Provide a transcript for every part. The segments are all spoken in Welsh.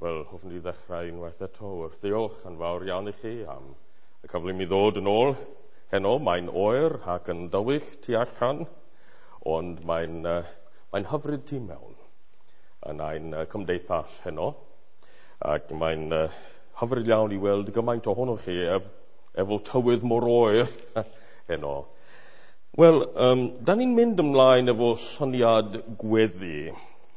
Wel, hoffwn i ddechrau unwaith eto wrth ddiolch yn fawr iawn i chi am y cyfle i mi ddod yn ôl heno. Mae'n oer ac yn dywyll tu allan, ond mae'n hyfryd tu mewn yn ein cymdeithas heno. Ac mae'n hyfryd iawn i weld gymaint ohonoch chi efo tywydd mor oer heno. Wel, da ni'n mynd ymlaen efo syniad gweddi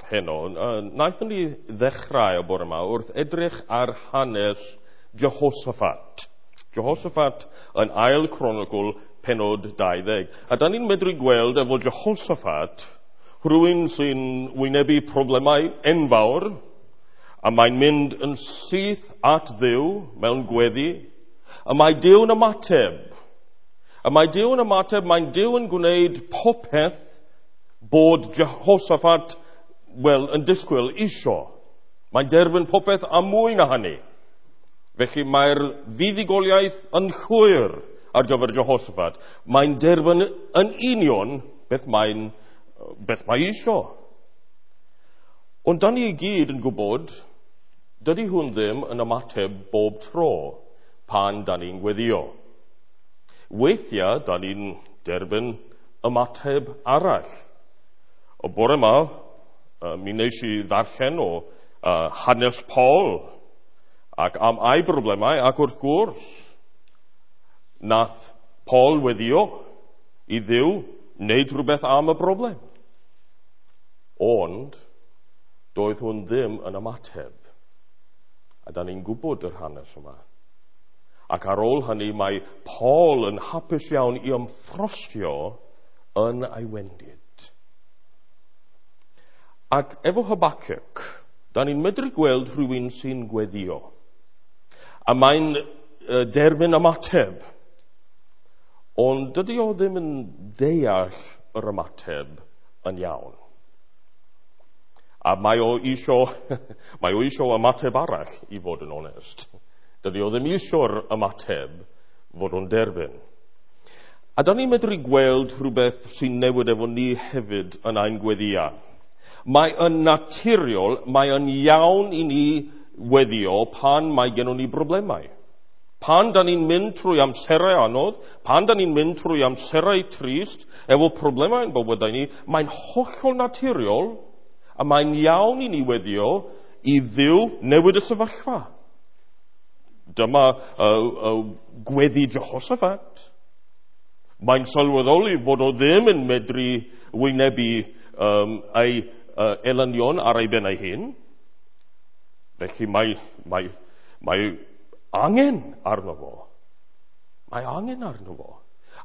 heno. Naethon ni ddechrau y bore yma wrth edrych ar hanes Jehoshaphat. Jehoshaphat yn ail Cronicl penod 20. A da ni'n medru gweld efo Jehoshaphat rhywun sy'n wynebu problemau enfawr, a mae'n mynd yn syth at Dduw mewn gweddi, a mae Duw'n ymateb. A mae Duw'n ymateb, mae'n Duw yn gwneud popeth bod Jehoshaphat, wel, yn disgwyl isio. Mae'n derbyn popeth a mwy na hynny. Felly mae'r fuddugoliaeth yn llwyr ar gyfer Jehoshaphat. Mae'n derbyn yn union beth mae isio. Ond da ni i gyd yn gwybod, dydy hwn ddim yn ymateb bob tro pan da ni'n gweddio. Weithiau, da ni'n derbyn ymateb arall. O bore yma, mi wnes i ddarllen o hanes Paul ac am ei broblemau, ac wrth gwrs, nath Paul weddio i Dduw wneud rhywbeth am y broblem. Ond, doedd hwn ddim yn ymateb. A da ni'n gwybod yr hanes yma. Ac ar ôl hynny, mae Paul yn hapus iawn i ymffrostio yn ei wendid. Ac efo Habakkuk, da ni'n medru gweld rhywun sy'n gweddio. A mae'n derbyn ymateb. Ond dydy o ddim yn deall yr ymateb yn iawn. A mae o isio ymateb arall, i fod yn onest. Dydy o ddim isio'r ymateb fod o'n derbyn. A da ni'n medru gweld rhywbeth sy'n newid efo ni hefyd yn ein gweddia. Mae yn naturiol, mae yn iawn i ni weddio pan mae gennon ni broblemau. Pan da ni'n mynd trwy amserau anodd, pan da ni'n mynd trwy amserau trist, efo problemau yn bywydau ni, mae'n hollol naturiol a mae'n iawn i ni weddio i Dduw newid y sefyllfa. Dyma gweddi Jehoshaphat. Mae'n sylweddoli fod o ddim yn medru wynebu ei elynion ar ei ben ei hun. Felly mae angen arno fo. Mae angen arno fo.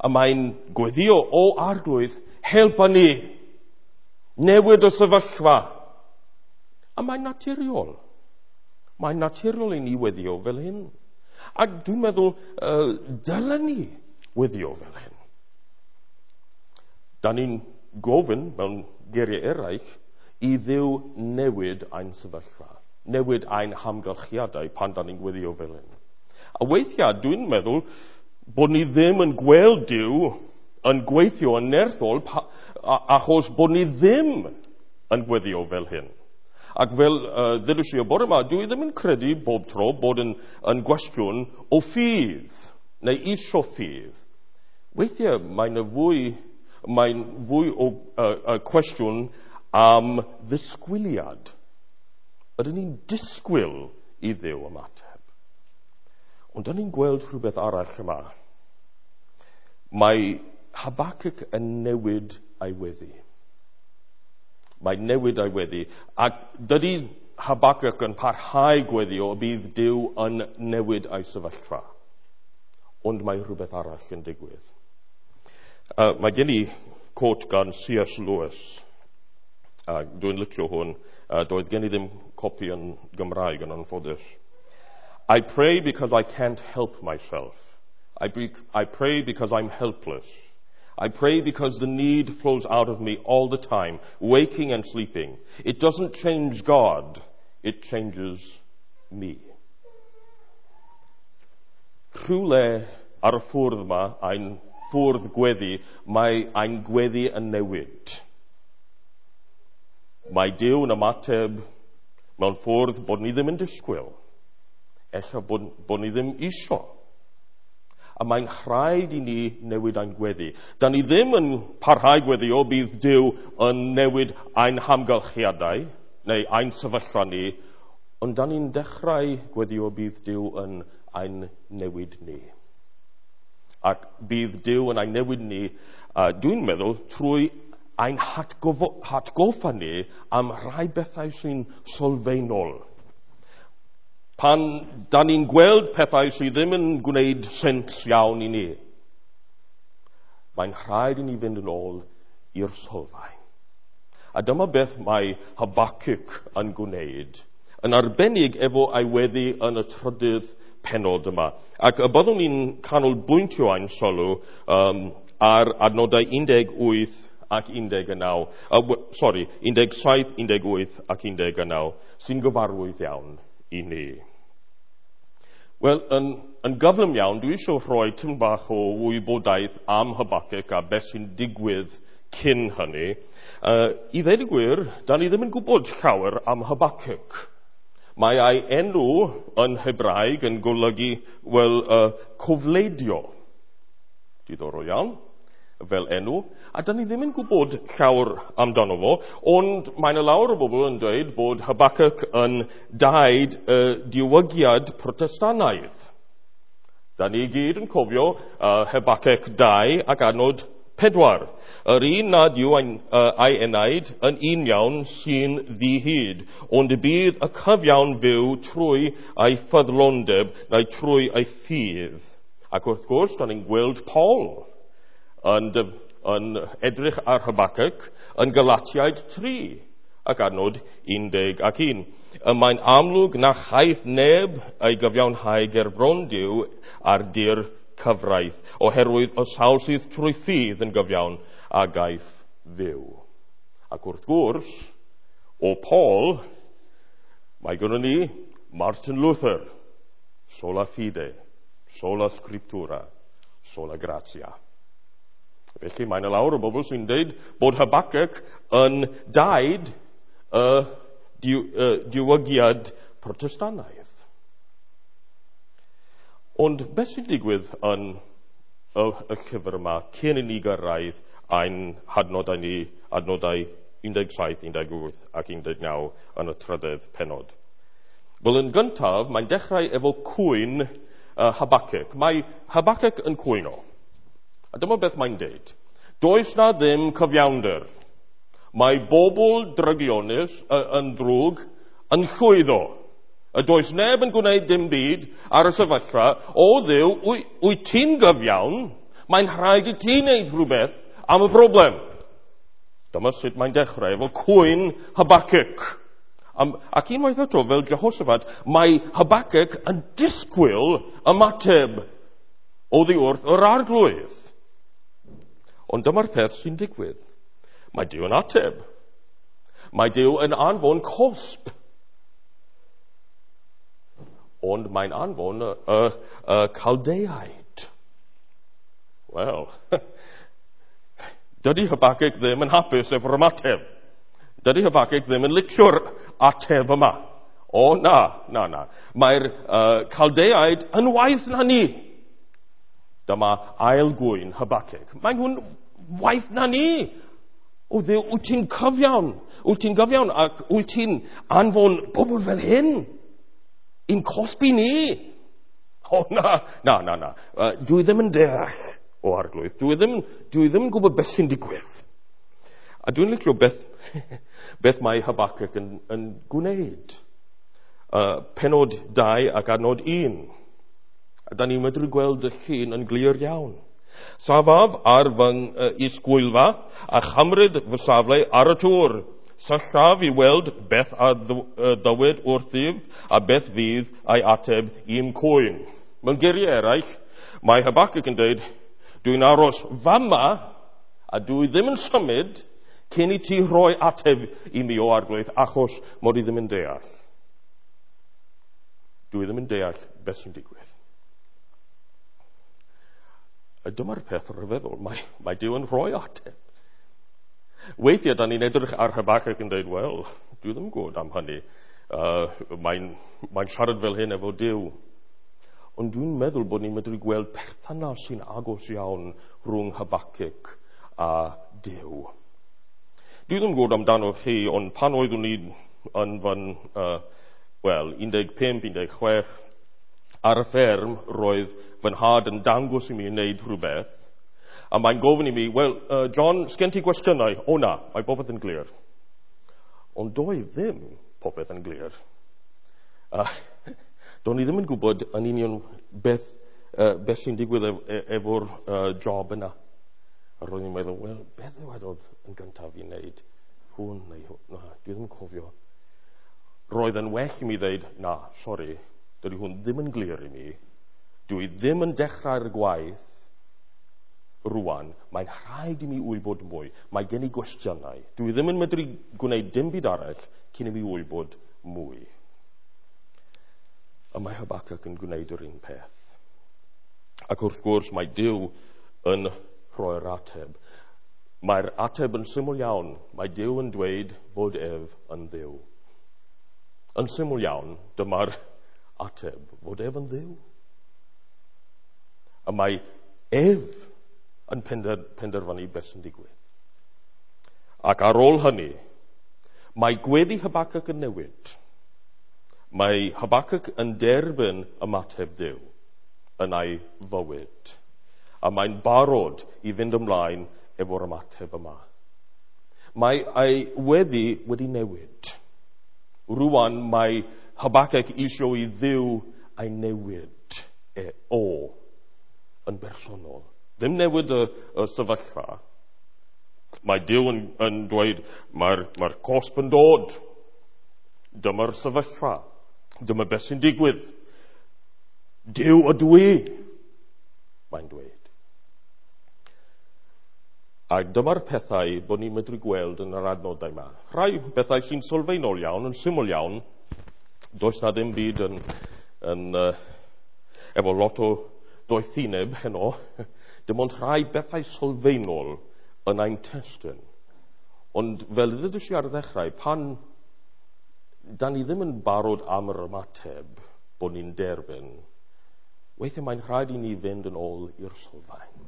A mae'n gweddio, o Arglwydd, helpa ni. Newid y sefyllfa. A mae'n naturiol. Mae'n naturiol i ni weddio fel hyn. A dwi'n meddwl, dylen ni weddio fel hyn. Da ni'n gofyn, mewn geiriau eraill, i Dduw newid ein sefyllfa, newid ein hamgylchiadau pan da ni'n gweddio fel hyn. A weithiau, dwi'n meddwl bod ni ddim yn gweld Duw yn gweithio yn nerthol achos bod ni ddim yn gweddio fel hyn. Ac fel ddudais i y bore yma, dwi ddim yn credu bob tro bod yn gwestiwn o ffydd, neu isio ffydd. Weithiau mae'n fwy o cwestiwn am ddisgwyliad. Ydyn ni'n disgwyl i Dduw ymateb? Ond dyn ni'n gweld rhywbeth arall yma. Mae Habakkuk yn newid ei weddi. Mae'n newid ei weddi. Ac dydy Habakkuk yn parhau gweddio y bydd Duw yn newid ei sefyllfa. Ond mae rhywbeth arall yn digwydd. Mae gen i quote gan C.S. Lewis. Dwi'n licio hwn. Doedd gen i ddim copi yn Gymraeg yn anffodus. I pray because I can't help myself. I pray because I'm helpless. I pray because the need flows out of me all the time, waking and sleeping. It doesn't change God, it changes me. Rhywle ar y ffwrdd yma, ein ffwrdd gweddi, mae ein gweddi yn newid. Mae Duw yn ymateb Mewn ffordd bod ni ddim yn disgwyl. Ella bod ni ddim isio. A mae'n rhaid i ni newid ein gweddi. Da ni ddim yn parhau gweddio bydd Duw yn newid ein hamgylchiadau neu ein sefyllfa ni, ond da ni'n dechrau gweddio bydd Duw yn ein newid ni. Ac bydd Duw yn ein newid ni, dwi'n meddwl, trwy ein hatgoffa ni am rai bethau sy'n sylfaenol. Pan da ni'n gweld pethau sydd ddim yn gwneud sens iawn i ni, mae'n rhaid i ni fynd yn ôl i'r sylfaen. A dyma beth mae Habakkuk yn gwneud, yn arbennig efo ei weddi yn y trydydd pennod yma. Ac y byddwn ni'n canolbwyntio ein sylw ar adnodau 18 ac 19, 17, 18 ac 19, sy'n gyfarwydd iawn i ni. Wel, yn gyflym iawn, dwi eisiau rhoi tipyn bach o wybodaeth am Habakkuk a beth sy'n digwydd cyn hynny. I ddweud y gwir, da ni ddim yn gwybod llawer am Habakkuk. Mae ei enw yn Hebraeg yn golygu, wel, cofleidio. Diddorol iawn, fel enw. A da ni ddim yn gwybod llawer amdano fo, ond mae yna lawer o bobl yn dweud bod Habakkuk yn daid y diwygiad Protestannaidd. Da ni gyd yn cofio Habakkuk 2 ac adnod 4. Yr un nad yw ei enaid yn un iawn sy'n ddihyd, ond y bydd y cyfiawn fyw trwy ei ffyddlondeb neu trwy ei ffydd. Ac wrth gwrs, da ni'n gweld Paul yn edrych ar Habakkuk yn Galatiaid 3 ac adnod 11. Y mae'n amlwg na chaiff neb ei gyfiawnhau ger bron Duw ar dir cyfraith, oherwydd y sawl sydd trwy ffydd yn gyfiawn a gaiff fyw. Ac wrth gwrs, o Paul, mae gynnon ni Martin Luther, sola fide, sola scriptura, sola gratia. Felly mae yna lawer o bobl sy'n dweud bod Habakkuk yn daid y diwygiad Protestannaidd. Ond beth sy'n digwydd yn y llyfr yma cyn i ni gyrraedd ein hadnodau ni, adnodau 17, 18 ac 19 yn y trydydd pennod? Wel, yn gyntaf, mae'n dechrau efo cwyn Habakkuk. Mae Habakkuk yn cwyno. A dyma beth mae'n deud. Does na ddim cyfiawnder. Mae bobl drygionus yn drwg yn llwyddo. A does neb yn gwneud dim byd ar y sefyllfa. O Dduw, wyt ti'n gyfiawn? Mae'n rhaid i ti wneud rhywbeth am y broblem. Dyma sut mae'n dechrau efo cwyn Habakkuk. Ac unwaith eto, fel Jehoshaphat, mae Habakkuk yn disgwyl ymateb oddi wrth yr Arglwydd. Ond dyma'r peth sy'n digwydd. Mae Duw yn ateb. Mae Duw yn anfon cosb. Ond mae'n anfon y Caldeaid. Wel, dydy Habakkuk ddim yn hapus efo'r ymateb. Dydy Habakkuk ddim yn licio'r ateb yma. O, na, na, na. Mae'r Caldeaid yn waeth na ni. Dyma ail gwyn Habakkuk. Mae nhw'n waeth na ni. O Dduw, wyt ti'n cyfiawn? Wyt ti'n gyfiawn ac wyt ti'n anfon bobl fel hyn i'n cosbi ni? O, na, na, na, na. Dwi ddim yn deall o Arglwydd. Dwi ddim yn gwybod beth sy'n digwydd. A dwi'n licio beth mae Habakkuk yn gwneud. Pennod 2 ac adnod 1. A da ni'n medru gweld y llun yn glir iawn. Safaf ar fy isgwylfa a chymryd fy safle ar y tŵr. Syllaf i weld beth a ddywed wrthyf a beth fydd ei ateb i'm cwyn. Mewn geiriau eraill, mae Habakkuk yn dweud, dwi'n aros fama a dwi ddim yn symud cyn i ti rhoi ateb i mi o Arglwydd, achos mod i ddim yn deall. Dwi ddim yn deall beth sy'n digwydd. A dyma'r peth rhyfeddol, mae Duw yn rhoi ateb. Weithiau, da ni'n edrych ar Habakkuk yn dweud, wel, dwi ddim yn gwybod am hynny. Mae'n siarad fel hyn efo Duw. Ond dwi'n meddwl bod ni'n medru gweld perthynas sy'n agos iawn rhwng Habacuc a Duw. Dwi ddim yn gwybod amdano chi, ond pan oeddwn i yn fy 15, 16, ar y fferm, roedd fy nhad yn dangos i mi wneud rhywbeth, a mae'n gofyn i mi, wel, John, sgen ti gwestiynau? O na, mae popeth yn glir. Ond doedd ddim popeth yn glir. Do'n i ddim yn gwybod yn union beth sy'n digwydd efo'r job yna. A roedd i'n meddwl, wel, beth ddywedodd yn gyntaf i wneud? Hwn neu hwn? Na, dwi ddim yn cofio. Roedd yn well i mi ddeud, na, sori, dydy hwn ddim yn glir i mi. Dwi ddim yn dechrau'r gwaith rwan. Mae'n rhaid i mi wybod mwy. Mae gen i gwestiynau. Dwi ddim yn medru gwneud dim byd arall cyn i mi wybod mwy. A mae Habacuc yn gwneud yr un peth. Ac wrth gwrs mae Duw yn rhoi'r ateb. Mae'r ateb yn syml iawn. Mae Duw yn dweud fod ef yn Dduw. Yn syml iawn, dyma'r ateb, fod ef yn Dduw. A mae ef yn penderfynu beth sy'n digwydd. Ac ar ôl hynny, mae gweddi Habacuc yn newid. Mae Habacuc yn derbyn ymateb Duw yn ei fywyd. A mae'n barod i fynd ymlaen efo'r ymateb yma. Mae ei weddi wedi newid. Rwan mae Habacuc eisiau i Dduw ei newid o yn bersonol. Ddim newid y sefyllfa. Mae Duw yn dweud mae'r cosb yn dod. Dyma'r sefyllfa. Dyma beth sy'n digwydd. Duw ydw i, mae'n dweud. A dyma'r pethau bod ni'n medru gweld yn yr adnodau yma. Rhai bethau sy'n sylfaenol iawn, yn syml iawn. Does na ddim byd yn efo lot o doethineb heno. Dim ond rhai bethau sylfaenol yn ein testun. Ond fel ddudais i ar ddechrau, pan da ni ddim yn barod am yr ymateb bod ni'n derbyn, weithiau mae'n rhaid i ni fynd yn ôl i'r sylfaen.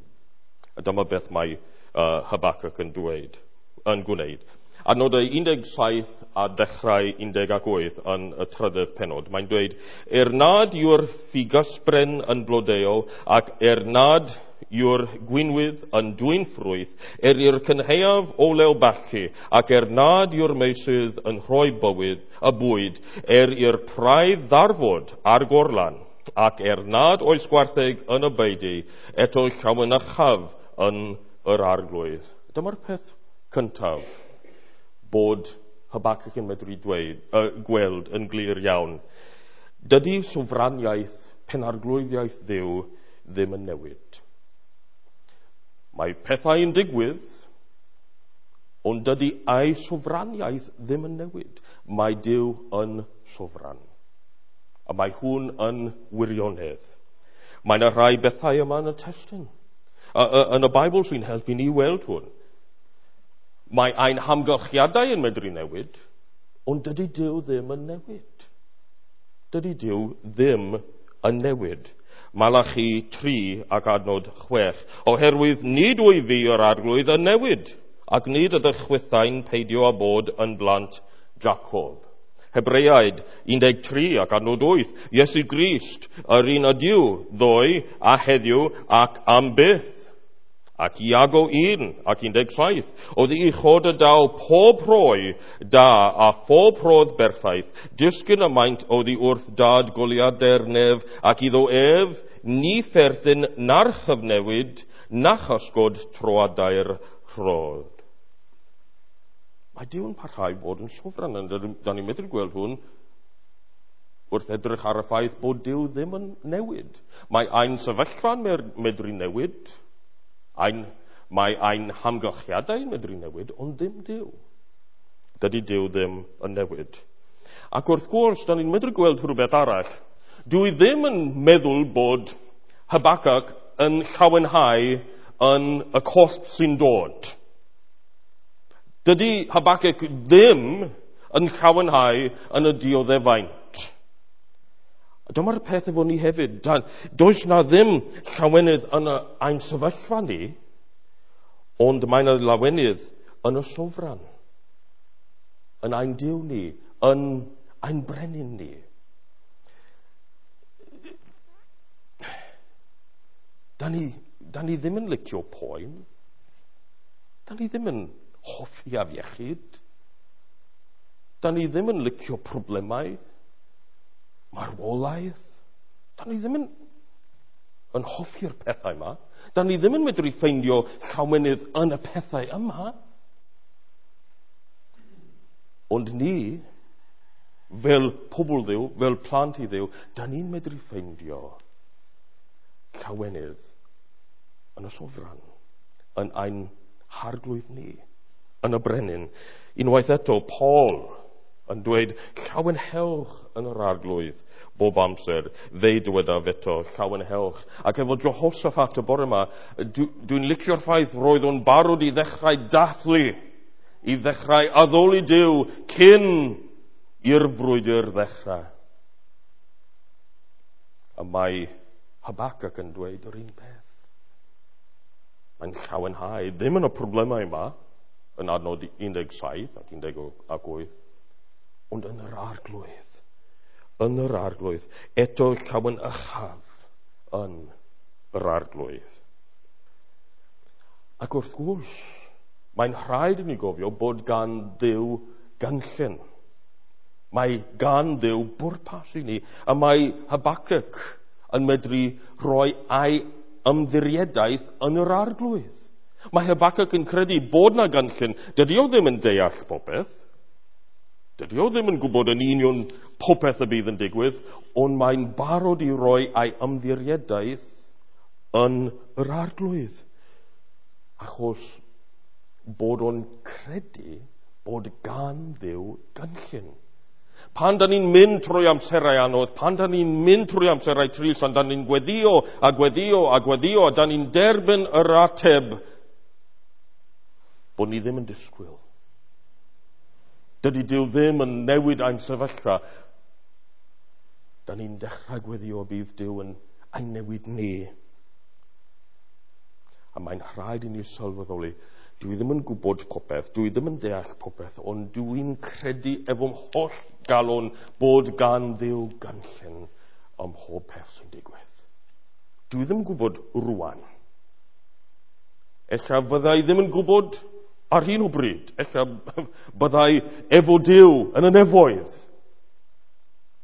A dyma beth mae Habacuc yn gwneud. Adnodau 17 a dechrau 18 yn y trydydd pennod. Mae'n dweud, nad yw'r ffigysbren yn blodeuo ac nad yw'r gwinwydd yn dwyn ffrwyth, i'r cynhaeaf olew bachu, ac nad yw'r meysydd yn rhoi bywyd y bwyd, i'r praidd ddarfod a'r gorlan, ac nad oes gwartheg yn y beudy, eto llawenychaf yn yr arglwydd. Dyma'r peth cyntaf bod Habacuc yn medru gweld yn glir iawn. Dydy sofraniaeth, penarglwyddiaeth Dduw ddim yn newid. Mae pethau yn digwydd, ond dydy ei sofraniaeth ddim yn newid. Mae Duw yn sofran. A mae hwn yn wirionedd. Mae yna rhai bethau yma yn y testun. Yn y Beibl sy'n helpu ni weld hwn. Mae ein hamgylchiadau yn medru newid, ond dydy Duw ddim yn newid. Dydy Duw ddim yn newid. Malachi 3 ac adnod 6. Oherwydd nid wyf fi yr arglwydd yn newid, ac nid ydych chwithau'n peidio â bod yn blant Jacob. Hebreaid 13 ac adnod 8. Iesu Grist, yr un ydyw, ddoe a heddiw ac am byth. Ac Iago 1 ac 17. Oddi uchod y daw pob rhoi da a phob rhodd berffaith, disgyn y maint oddi wrth dad goliadau'r nef, ac iddo ef ni pherthyn na'r chyfnewid na chysgod troadau'r rhodd. Mae Duw yn parhau bod yn sofran, da ni'n medru gweld hwn wrth edrych ar y ffaith bod Duw ddim yn newid. Mae ein sefyllfa'n medru newid, mae ein hamgylchiadau yn medru newid, ond ddim Duw. Dydy Duw ddim yn newid. Ac wrth gwrs, da ni'n medru gweld rhywbeth arall. Dwi ddim yn meddwl bod Habacuc yn llawenhau yn y cosb sy'n dod. Dydy Habacuc ddim yn llawenhau yn y dioddefaint. A dyma'r peth efo ni hefyd. Does na ddim llawenydd yn ein sefyllfa ni, ond mae yna lawenydd yn y sofran, yn ein Duw ni, yn ein brenin ni. Da ni ddim yn licio poen. Da ni ddim yn hoffi afiechyd. Da ni ddim yn licio problemau, marwolaeth. Da ni ddim yn hoffi'r pethau yma. Da ni ddim yn medru ffeindio llawenydd yn y pethau yma. Ond ni, fel pobl Dduw, fel plant i Dduw, da ni'n medru ffeindio llawenydd yn y sofran, yn ein harglwydd ni, yn y brenin. Unwaith eto, Paul yn dweud, llawenhewch yn yr arglwydd bob amser. Fe dywedaf eto, llawenhewch. Ac efo Jehoshaphat y bore yma, dwi'n licio'r ffaith roedd o'n barod i ddechrau dathlu, i ddechrau addoli Duw cyn i'r frwydr ddechrau. A mae Habakkuk yn dweud yr un peth. Mae'n llawenhau, ddim yn y problemau yma, yn adnod 17 ac 18, ond yn yr arglwydd. Yn yr arglwydd. Eto llawenychaf yn yr arglwydd. Ac wrth gwrs, mae'n rhaid i ni gofio bod gan Dduw gynllun. Mae gan Dduw bwrpas i ni, a mae Habakkuk yn medru rhoi ei ymddiriedaeth yn yr arglwydd. Mae Habakkuk yn credu bod na gynllun. Dydy o ddim yn deall popeth. Dydy o ddim yn gwybod yn union popeth y bydd yn digwydd, ond mae'n barod i roi ei ymddiriedaeth yn yr arglwydd. Achos bod o'n credu bod gan Dduw gynllun. Pan da ni'n mynd trwy amserau anodd, pan da ni'n mynd trwy amserau trist, pan da ni'n gweddio a gweddio a gweddio, a da ni'n derbyn yr ateb bod ni ddim yn disgwyl. Dydy Duw ddim yn newid ein sefyllfa. Da ni'n dechrau gweddio bydd Duw yn ein newid ni. A mae'n rhaid i ni sylweddoli, dwi ddim yn gwybod popeth, dwi ddim yn deall popeth, ond dwi'n credu efo'm holl galon bod gan Dduw gynllun ym mhob peth sy'n digwydd. Dwi ddim yn gwybod rwan. Ella fyddai ddim yn gwybod ar hyn o bryd. Ella byddai efo Duw yn y nefoedd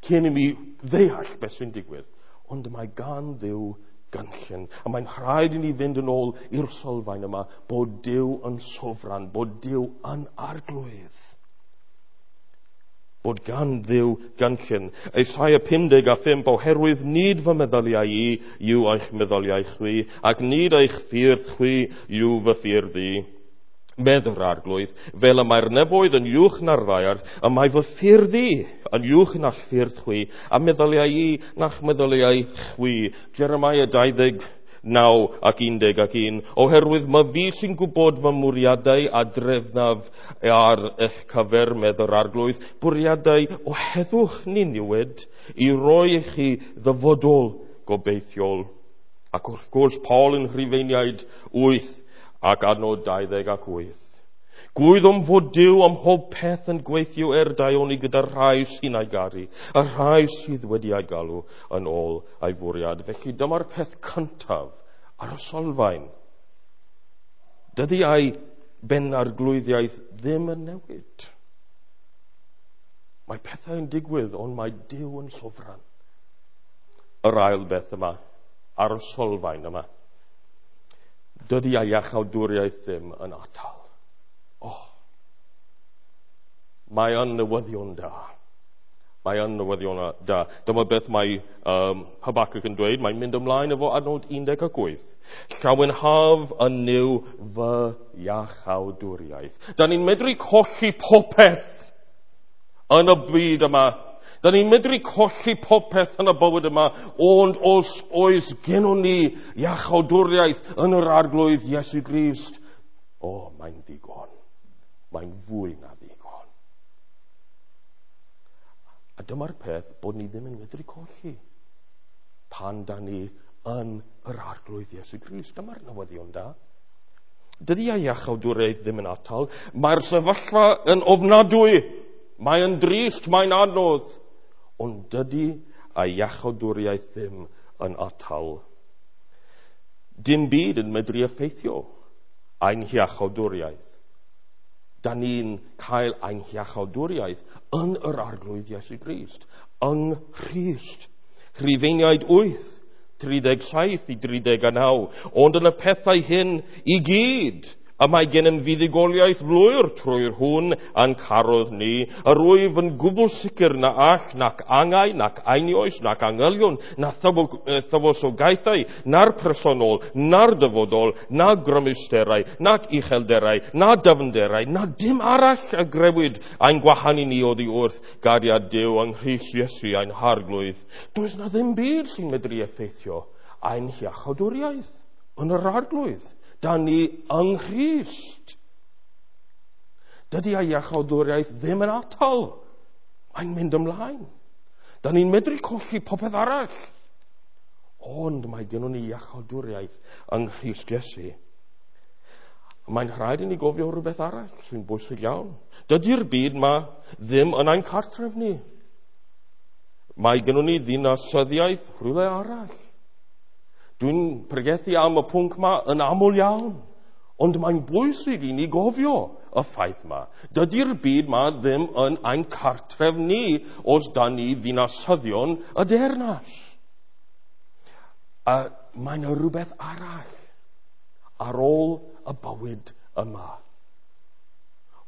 cyn i mi ddeall beth sy'n digwydd. Ond mae gan Dduw gynllun. A mae'n rhaid i ni fynd yn ôl i'r sylfaen yma bod Duw yn sofran, bod Duw yn arglwydd. Bod gan Dduw gynllun. Esaia 55, oherwydd nid fy meddyliau i yw eich meddyliau chwi, ac nid eich ffyrdd chwi yw fy ffyrdd i. Medd yr arglwydd, fel y mae'r nefoedd yn uwch na'r ddaear, y mae fy ffyrdd i yn uwch na'ch ffyrdd chwi, a meddyliau i na'ch meddyliau chwi. Jeremiah 29 ac 11, oherwydd mae fi sy'n gwybod fy mwriadau a drefnaf ar eich cyfer, medd yr arglwydd, bwriadau o heddwch ni niwed i roi i chi ddyfodol gobeithiol. Ac wrth gwrs, Paul yn Rhufeiniaid 8 ac adnod 28. Gwyddom fod Duw am mhob peth yn gweithio daioni gyda'r rhai sy'n ei garu, y rhai sydd wedi ei galw yn ôl ei fwriad. Felly dyma'r peth cyntaf ar y sylfaen. Dydy ei benarglwyddiaeth ddim yn newid. Mae pethau yn digwydd, ond mae Duw yn sofran. Yr ail beth yma, ar y sylfaen yma. Dydy ei iachawdwriaeth ddim yn atal. Oh, mae yn newyddion da. Mae yn newyddion da. Dyma beth mae Habakkuk yn dweud. Mae'n mynd ymlaen efo adnod 18. Llawenhaf yn Nuw fy iachawdwriaeth. Da ni'n medru colli popeth yn y byd yma. Da ni'n medru colli popeth yn y bywyd yma, ond os oes gennon ni iachawdwriaeth yn yr arglwydd Iesu Grist, o, mae'n ddigon. Mae'n fwy na ddigon. A dyma'r peth bod ni ddim yn medru colli pan da ni yn yr Arglwydd Iesu Grist. Dyma'r newyddion da. Dydy ei iachawdwriaeth ddim yn atal. Mae'r sefyllfa yn ofnadwy. Mae'n drist, mae'n anodd. Ond dydy ei iachawdwriaeth ddim yn atal. Dim byd yn medru effeithio ein hiachawdwriaeth. Da ni'n cael ein hiachawdwriaeth yn yr Arglwydd Iesu Grist, yng Nghrist. Rhufeiniaid 8, 37 i 39. Ond yn y pethau hyn i gyd, y mae gennym fuddugoliaeth lwyr trwy'r hwn a'n carodd ni. Yr wyf yn gwbl sicr na all nac angau, nac einioes, nac angylion, na thywysogaethau, na'r presennol, na'r dyfodol, na grymusterau, nac uchelderau, na dyfnderau, na dim arall a grewyd ein gwahanu ni oddi wrth gariad Duw yng Nghrist Iesu ein Harglwydd. Does na ddim byd sy'n medru effeithio ein hiachawdwriaeth yn yr Arglwydd. Da ni yng Nghrist. Dydy ei iachawdwriaeth ddim yn atal. Mae'n mynd ymlaen. Da ni'n medru colli popeth arall. Ond mae gennym ni iachawdwriaeth yng Nghrist Iesu. Mae'n rhaid i ni gofio rhywbeth arall sy'n bwysig iawn. Dydy'r byd ma ddim yn ein cartref ni. Mae gennym ni ddinasyddiaeth rhywle arall. Dwi'n pregethu am y pwnc ma yn aml iawn, ond mae'n bwysig i ni gofio y ffaith ma. Dydy'r byd ma ddim yn ein cartref ni os da ni ddinasyddion y deyrnas. A mae'n rhywbeth arall ar ôl y bywyd yma.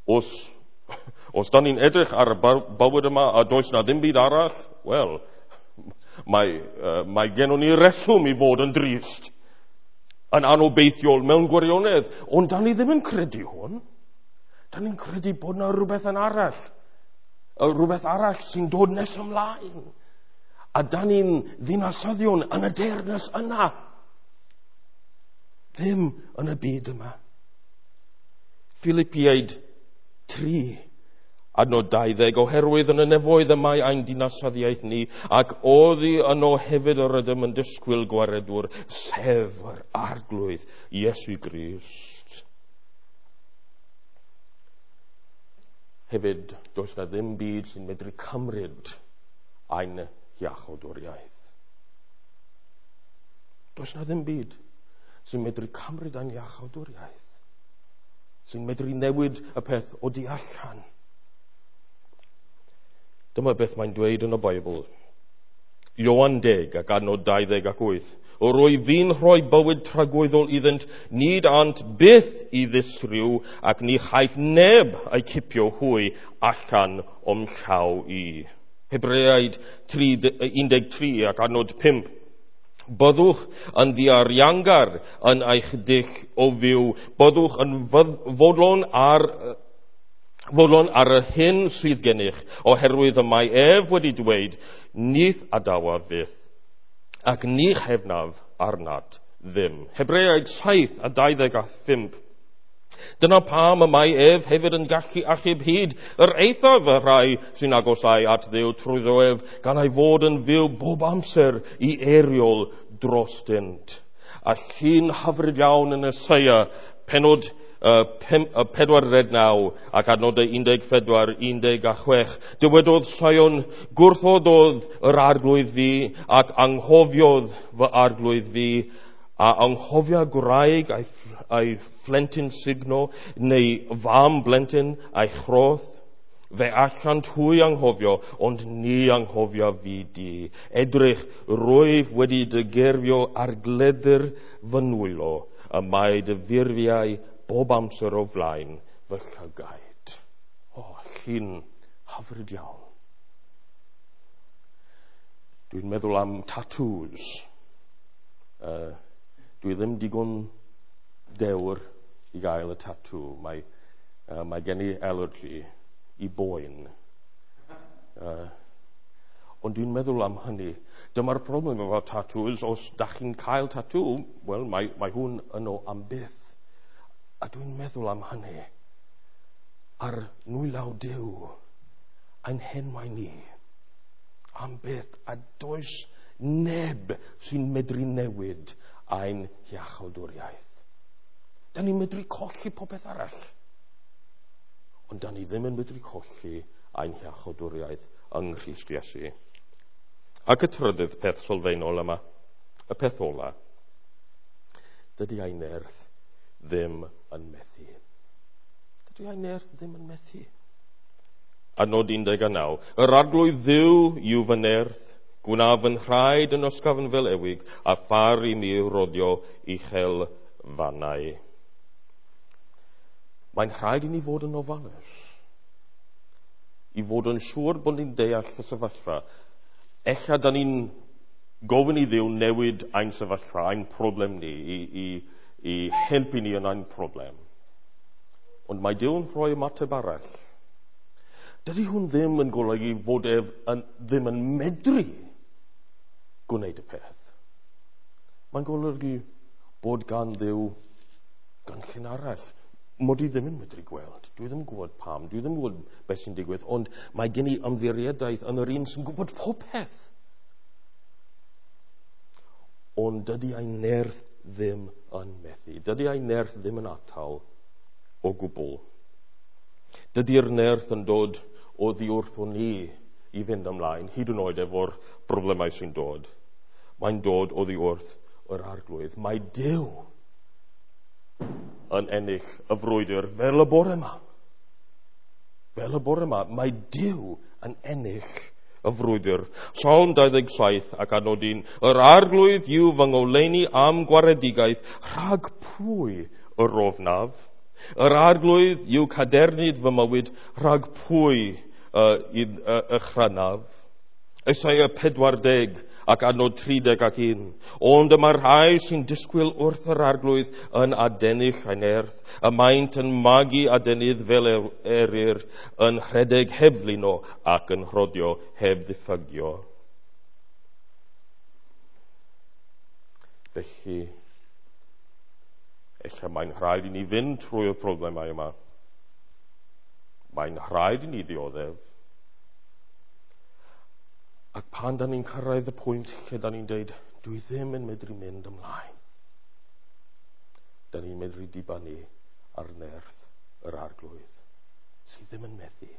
Os da ni'n edrych ar y bywyd yma a does na ddim byd arall, wel, mae gennym ni reswm i fod yn drist, yn anobeithiol mewn gwirionedd, ond da ni ddim yn credu hwn. Da ni'n credu bod na rhywbeth yn arall, rhywbeth arall sy'n dod nes ymlaen. A da ni'n ddinasyddion yn y deyrnas yna, ddim yn y byd yma. Philippiaid 3, adnod 20, oherwydd yn y nefoedd y mae ein dinasyddiaeth ni, ac oddi yno hefyd yr ydym yn disgwyl gwaredwr, sef yr Arglwydd Iesu Grist. Hefyd, does na ddim byd sy'n medru cymryd ein iachawdwriaeth. Does na ddim byd sy'n medru cymryd ein iachawdwriaeth, sy'n medru newid y peth o du allan. Dyma beth mae'n dweud yn y Beibl. Ioan 10 ac adnod 28. Rwy fi'n rhoi bywyd tragwyddol iddynt, nid ant byth i ddistryw, ac ni chaiff neb ei cipio hwy allan o'm llaw i. Hebreaid 13 ac adnod 5. Byddwch yn ddiariangar yn eich dull o fyw. Byddwch yn fodlon ar yr hyn sydd gennych, oherwydd y mae ef wedi dweud, nith adawaf fyth, ac ni chefnaf arnat ddim. Hebreaid 7 a 25. Dyna pam y mae ef hefyd yn gallu achub hyd yr eithaf y rhai sy'n agosau at Dduw trwyddo ef, gan ei fod yn fyw bob amser i eiriol drostynt. A llun hyfryd iawn yn Eseia, penod 49 ac adnodau 14, 16. Dywedodd Sion, gwrthododd yr Arglwydd fi ac anghofiodd fy Arglwydd fi, a anghofia gwraig a'i phlentyn sugno, neu fam blentyn a'i chroth. Fe allant hwy anghofio, ond ni anghofia fi di. Edrych, rwyf wedi dy gerfio ar gledr fy nwylo, y mae dy furfiau bob amser o flaen fy llygaid. O, llun hyfryd iawn. Dwi'n meddwl am tattoos. Dwi ddim digon dewr i gael y tatŵ. Mae gen i allergy i boen. Ond dwi'n meddwl am hynny. Dyma'r problem efo tattoos. Os da chi'n cael tatŵ, wel, mae hwn yno am byth. A dwi'n meddwl am hynny. Ar nwylaw Duw, ein henwau ni Am byth, a does neb sy'n medru newid ein hiachawdwriaeth. Da ni'n medru colli popeth arall. Ond da ni ddim yn medru colli ein hiachawdwriaeth yng Nghrist Iesu. Ac y trydydd peth sylfaenol yma, y peth ola, dydy ein nerth ddim yn methu. Dydy ein nerth ddim yn methu. Adnod 19. Yr Arglwydd Dduw yw fy nerth, gwna fy nhraed yn ysgafn fel ewig, a phar i mi rodio uchel fannau. Mae'n rhaid i ni fod yn ofalus, i fod yn siŵr bod ni'n deall y sefyllfa. Ella da ni'n gofyn i Dduw newid ein sefyllfa, ein problem ni, i helpu ni yn ein problem. Ond mae Duw yn rhoi ymateb arall. Dydy hwn ddim yn golygu fod ef ddim yn medru gwneud y peth. Mae'n golygu bod gan Dduw gynllun arall. Mod i ddim yn medru gweld. Dwi ddim yn gwybod pam. Dwi ddim yn gwybod beth sy'n digwydd. Ond mae gen i ymddiriedaeth yn yr un sy'n gwybod popeth. Ond dydy ein nerth ddim yn methu. Dydy ein nerth ddim yn atal o gwbl. Dydy'r nerth yn dod oddi wrthon ni i fynd ymlaen, hyd yn oed efo'r problemau sy'n dod. Mae'n dod oddi wrth yr Arglwydd. Mae Duw yn ennill y frwydr fel y bore yma. Fel y bore yma, mae Duw yn ennill y frwydr. Salm 27 ac adnod 1. Yr Arglwydd yw fy ngoleuni am gwaredigaeth, rhag pwy yr ofnaf? Yr Arglwydd yw cadernid fy mywyd, rhag pwy y chrynaf? Esaia 40 ac adnod 31. Ond y mae'r rhai sy'n disgwyl wrth yr Arglwydd yn adennill ei nerth, y maent yn magu adenydd fel eryr, yn rhedeg heb flino ac yn rhodio heb ddiffygio. Felly, ella mae'n rhaid i ni fynd trwy'r problemau yma. Mae'n rhaid i ni ddioddef. Ac pan da ni'n cyrraedd y pwynt lle da ni'n deud, dwi ddim yn medru mynd ymlaen, da ni'n medru dibynnu ar nerth yr Arglwydd, sydd ddim yn methu.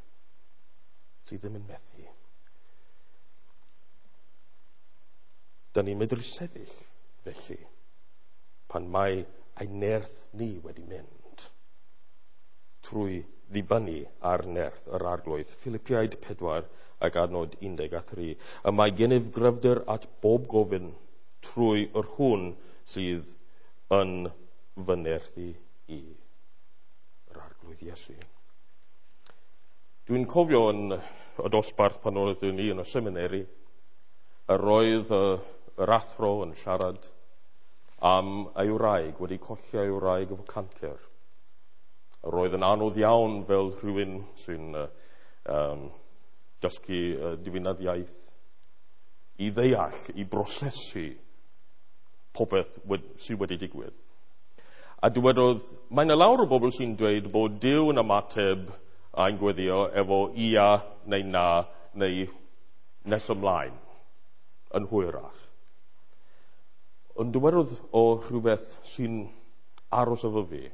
Sydd ddim yn methu. Da ni'n medru sefyll, felly, pan mae ein nerth ni wedi mynd, trwy ddibynnu ar nerth yr Arglwydd. Philippiaid 4 ac adnod 13. Y mae gennyf gryfder at bob gofyn trwy yr hwn sydd yn fy nerthu i. Yr Arglwydd Iesu. Dwi'n cofio yn y dosbarth pan oeddwn i yn y seminary, yr oedd yr athro yn siarad am ei wraig, wedi colli ei wraig efo cancer. Yr oedd yn anodd iawn fel rhywun sy'n dysgu diwinyddiaeth i ddeall, i brosesu popeth sydd wedi digwydd. A dywedodd, mae yna lawer o bobl sy'n dweud bod Duw yn ymateb a'n gweddio efo ia neu na neu nes ymlaen yn hwyrach. Ond dywedodd o rhywbeth sy'n aros efo fi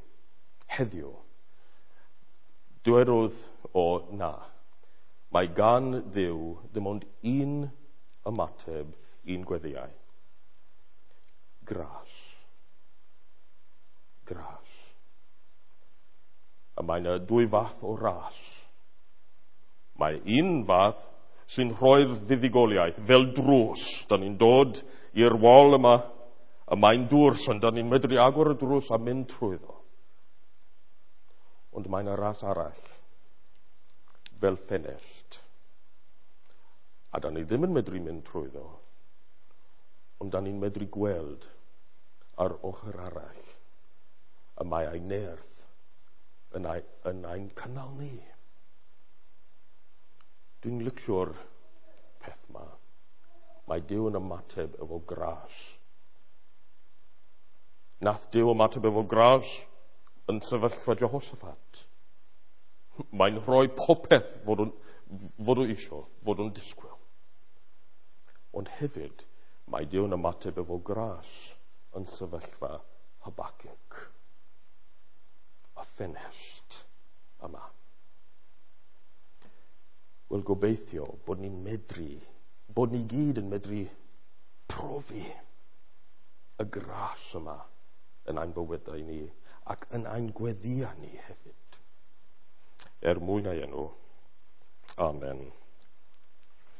heddiw. Dywedodd o na. Mae gan Dduw ddim ond un ymateb i'n gweddiau. Gras. Gras. A mae yna dwy fath o ras. Mae un fath sy'n rhoi'r fuddugoliaeth fel drws. Da ni'n dod i'r wal yma, a mae'n dwrs, ond da ni'n medru agor y drws a mynd trwyddo. Ond mae yna ras arall, fel ffenest. A da ni ddim yn medru mynd trwyddo, ond da ni'n medru gweld ar ochr arall y mae ei nerth yn ein cynnal ni. Dwi'n licio'r peth ma. Mae Duw yn ymateb efo gras. Nath Duw ymateb efo gras yn sefyllfa Jehoshaphat. Mae'n rhoi popeth fod o'n isio, fod o'n disgwyl. Ond hefyd, mae Duw yn ymateb efo gras yn sefyllfa Habacuc. Y ffenest yma. Wel, gobeithio bod ni'n medru, bod ni gyd yn medru profi y gras yma yn ein bywydau ni ac yn ein gweddïau ni hefyd. Er mwyn ei enw. Amen.